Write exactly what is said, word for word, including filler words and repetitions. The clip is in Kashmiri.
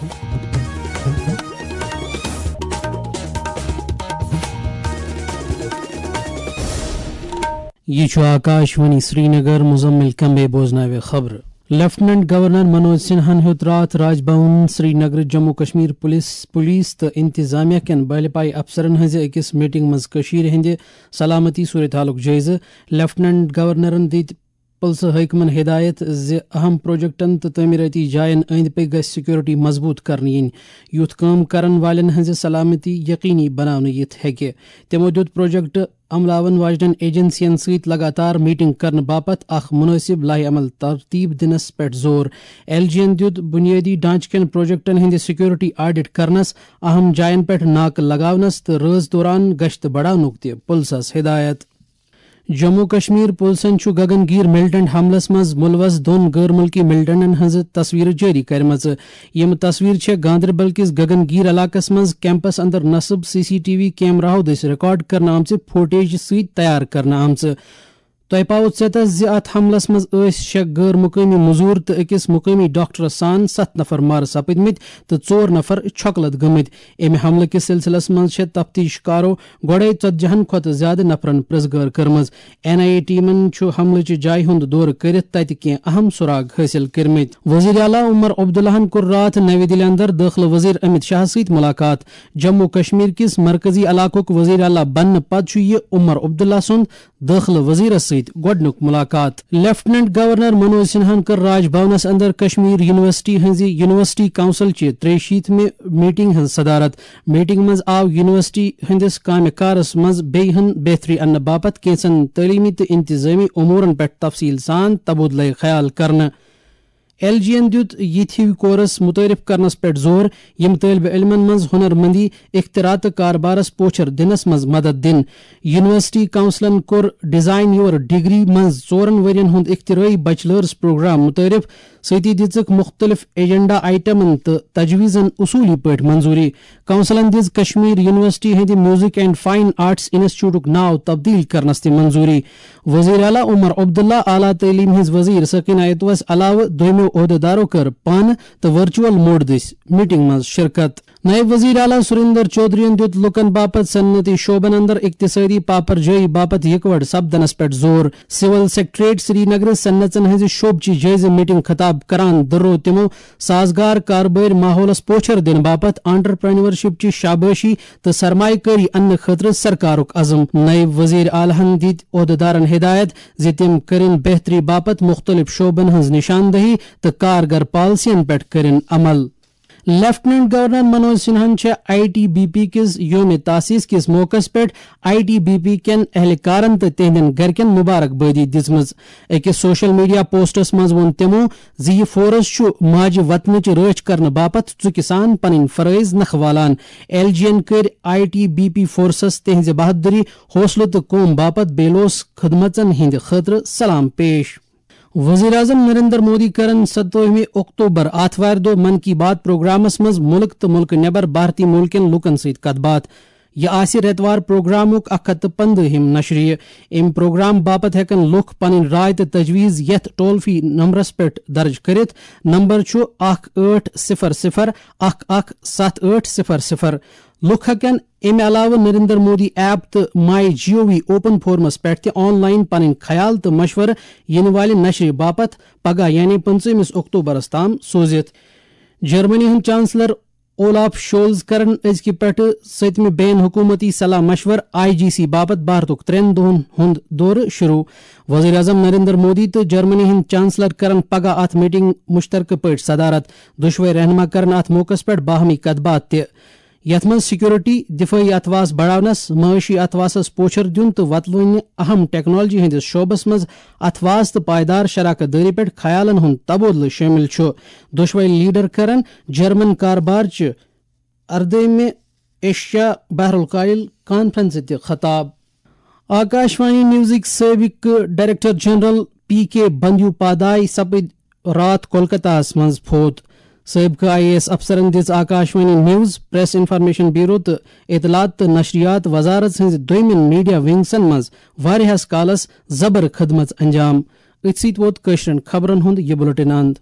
یہ چھُ آکاش وانی سرینگر۔ مزمل کمبے بوزناوِ خبرٕ۔ لیفٹیننٹ گورنر منوج سنہاہن ہیوٚت راتھ راج بھون سرینگر جموں کشمیر پولیس، پولیس تہٕ انتظامیہ کٮ۪ن بہلہِ پایہِ افسرن ہٕنٛزِ أکِس میٹنگ منٛز کٔشیٖرِ ہٕنٛدِ سلامتی صورتحالُک جٲیزٕ۔ لیفٹیننٹ گورنرن دِتۍ پُلسہٕ حٲکمن ہدایت زِ اہم پروجیکٹن تہٕ تعمیٖرٲتی جاین أنٛدۍ پٔکۍ گژھِ سیکورٹی مضبوٗط کرنہٕ یِنۍ، یُتھ کٲم کرن والٮ۪ن ہٕنٛزِ سلامتی یقینی بناونہٕ یِتھ ہیٚکہِ۔ تِمو دِیُت پروجیکٹ عملاون واجنٮ۪ن ایجنسین سۭتۍ لگاتار میٹنگ کرنہٕ باپتھ اکھ مناسب لائحہ عمل ترتیب دِنس پٮ۪ٹھ زور۔ ایل جی ین دِیُت بنیٲدی ڈھانچہٕ کٮ۪ن پروجیکٹن ہٕنٛدِ سیکورٹی آڈٹ کرنس، اہم جاین پٮ۪ٹھ ناکہٕ لگاونس تہٕ رٲژ دوران گشت بڑاونُک تہِ پُلسس ہدایت۔ جموں کشمیر پُلسن چھُ گگن گیٖر ملیٹنٹ حملس منٛز مُلوث دۄن غٲر مُلکی ملیٹنٹن ہٕنٛزٕ تصویرٕ جٲری کرِمژٕ۔ یِم تصویرٕ چھےٚ گاندربل کِس گگن گیٖر علاقس منٛز کیمپس اندر نصب سی سی ٹی وی کیمراہو دٔسۍ ریکارڈ کرنہٕ آمژِ فوٹیج سۭتۍ تیار کرنہٕ آمژٕ۔ تۄہہِ پاوو ژیتس زِ اتھ حملس منٛز ٲسۍ شےٚ غٲر مقٲمی مزور تہٕ أکِس مقٲمی ڈاکٹرس سان ستھ نفر مارٕ سپٕدمٕتۍ تہٕ ژور نفر چھۄکہٕ لد گٔمٕتۍ۔ امہِ حملہٕ کِس سلسلس منٛز چھےٚ تفتیش کارو گۄڈے ژتجی ہن کھۄتہٕ زیادٕ نفرن پرٛژھ گٲر کٔرمٕژ۔ این آئی اے ٹیمن چھُ حملہٕ چہِ جایہِ ہُنٛد دورٕ کٔرِتھ تتہِ کینٛہہ اہم سراغ حٲصِل کٔرمٕتۍ۔ وزیر اعلیٰ عمر عبداللہن کوٚر راتھ نَوِ دِلہِ اندر دٲخلہٕ وزیر امت شاہ سۭتۍ مُلاقات۔ جموں کشمیر کِس مرکزی علاقُک وزیر اعلیٰ بننہٕ پتہٕ چھُ یہِ عمر عبداللہ سُنٛد دٲخلہٕ وزیرس سۭتۍ گۄڈٕنیُک مُلاقات۔ لیفٹیننٹ گورنر منوج سنہاہن کٔر راج بھونس اندر کشمیر یونیورسٹی ہٕنٛزِ یونیورسٹی کونسل چہِ ترٛیہِ شیٖتمہِ میٹنگ ہٕنٛز صدارت۔ میٹنگ منٛز آو یونیورسٹی ہٕنٛدِس کامہِ کارس منٛز بیٚیہِ ہن بہتری اننہٕ باپتھ کینٛژن تعلیمی تہٕ انتظامی امورن پٮ۪ٹھ تفصیل سان تبادلہٕ خیال کرنہٕ۔ ایل جی ین دیُت یِتھۍ ہِوۍ کورس متعارف کرنس پٮ۪ٹھ زور، یِم طٲلبہِ علمن منٛز ہُنر مندی، اختراع تہٕ کاربارس پوچھر دِنس منٛز مدد دِن۔ یونیورسٹی کونسلن کوٚر ڈیزائن یور ڈگری منٛز ژورن ؤرین ہُنٛد اختراعی بیچلرز پروگرام متعارف، سۭتی دِژٕکھ مُختٔلِف ایجنڈا آئٹمن تہٕ تجویزن اصوٗلی پٲٹھۍ منظوٗری۔ کونسلن دِژ کشمیر یونیورسٹی ہٕنٛدِ میوزک اینڈ فائن آرٹس انسٹیٹیوٹُک ناو تبدیل کرنس تہِ منظوٗری۔ وزیر اعلیٰ عمر عبداللہ، اعلیٰ تعلیٖم ہٕنٛز وزیر ثقینہ اتوس علاوٕ دوٚیمٮ۪و عہدٕدارو کٔر پانہٕ تہٕ ورچوئل موڈ دٔسۍ میٹنگ منٛز شرکت۔ نائب وزیر اعلیٰ سریندر چودھرین دِیُت لوٗکن باپتھ صنعتی شعبن اندر اقتصٲدی پاپر جٲیی باپتھ یکوٹہٕ سپدنس پٮ۪ٹھ زور۔ سول سیکرٹریٹ سرینگرٕ صنعژن ہٕنٛزِ شعبہٕ چہِ جٲیزٕ میٹنگ خطاب کران دۄہروو تِمو سازگار کاربٲرۍ ماحولس پوچھر دِنہٕ باپتھ انٹرپرینورشپ چہِ شابٲشی تہٕ سرمایہ کٲری اننہٕ خٲطرٕ سرکارُک عزم۔ نائب وزیر اعلیٰ ہن دِتۍ عہدٕدارن ہدایت زِ تِم کٔرِن بہتری باپتھ مُختٔلِف شعبن ہٕنٛز نشاندہی تہٕ کارگر پالیسین پٮ۪ٹھ کٔرِن عمل۔ لیفٹیننٹ گورنر منوج سنہاہن چھےٚ آئی ٹی بی پی کِس یوم تاسیس کِس موقعس پٮ۪ٹھ آئی ٹی بی پی کٮ۪ن اہلکارن تہٕ تِہنٛدٮ۪ن گرِکٮ۪ن مبارک بٲدی دِژمٕژ۔ أکِس سوشل میڈیا پوسٹس منٛز ووٚن تِمو زِ یہِ فورس چھُ ماجہِ وطنٕچ رٲچھ کرنہٕ باپتھ ژُکہِ سان پنٕنۍ فرٲیض نکھٕ والان۔ ایل جی ین کٔرۍ I T B P forces تِہنٛزِ بہادری، حوصلہٕ تہٕ قوم باپتھ بے لوث خدمژن ہٕنٛدِ خٲطرٕ سلام پیش۔ وزیر اعظم نریندر مودی کرن ستووُہمہِ اکتوبر آتھوارِ دۄہ من کی بات پروگرامس منٛز مُلک تہٕ مُلکہٕ نٮ۪بر بھارتی مُلکن لوٗکن سۭتۍ کتھ باتھ۔ یہِ آسہِ رٮ۪توار پروگرامُک اکھ ہتھ تہٕ پندہِم نشریہِ۔ امہِ پروگرام باپتھ ہٮ۪کن لوٗکھ پنٕنۍ راے تہٕ تجویز یتھ ٹول فری نمبرس پٮ۪ٹھ درج کٔرِتھ۔ نمبر چھُ اکھ ٲٹھ صفر صفر اکھ اکھ ستھ ٲٹھ صفر صفر۔ لوٗکھ ہٮ۪کن امہِ علاوٕ نریندر مودی ایپ تہٕ مائی جی او وی اوپن فورمس پٮ۪ٹھ تہِ آن لائن پنٕنۍ خیال تہٕ مشورٕ یِنہٕ والہِ نشرِ باپتھ پگاہ یعنی پٕنٛژٕہمِس اکتوبرس تام سوٗزِتھ۔ جرمنی ہُنٛد چانسلر اولاف شولز کرن أزکہِ پٮ۪ٹھٕ سٔتمہِ بین حکومتی صلاح مشورٕ آئی جی سی باپتھ بھارتُک ترٛٮ۪ن دۄہن ہُنٛد دورٕ شروع۔ وزیر اعظم نریندر مودی تہٕ جرمنی ہٕنٛدۍ چانسلر کرن پگاہ اتھ میٹنگ مشترکہٕ پٲٹھۍ صدارت۔ دۄشوے رہنما کرن اتھ موقعس پٮ۪ٹھ باہمی کتھ باتھ تہِ، یتھ منٛز سیکورٹی، دفٲعی اتھواس بڑاونس، معاشی اتھواسس پوچھر دیُن تہٕ وتلونہِ اہم ٹیکنالوجی ہٕنٛدِس شعبس منٛز اتھواس تہٕ پائیدار شراکت دٲری پٮ۪ٹھ خیالن ہُنٛد تبادلہٕ شٲمِل چھُ۔ دۄشوے لیڈر کرن جرمن کاربار چہِ اردٲہمہِ ایشیا بحر الکاہل کانفرنس تہِ خطاب۔ آکاشوانی نیوزٕکۍ سٲبقہٕ ڈائریکٹر جنرل پی کے بندیوپادھاے سپٕدۍ راتھ کولکتہ ہَس منٛز فوت۔ سٲبقہٕ آئی اے ایس افسرن دِژ Akashvani news, press information bureau تہٕ اطلاعات تہٕ نشریات وزارت ہٕنٛزِ دوٚیمٮ۪ن میڈیا ونگسن منٛز واریاہس کالس زبر خدمژ انجام۔ أتھۍ سۭتۍ ووت کٲشرٮ۪ن خبرن ہُنٛد یہِ بلیٹن اند۔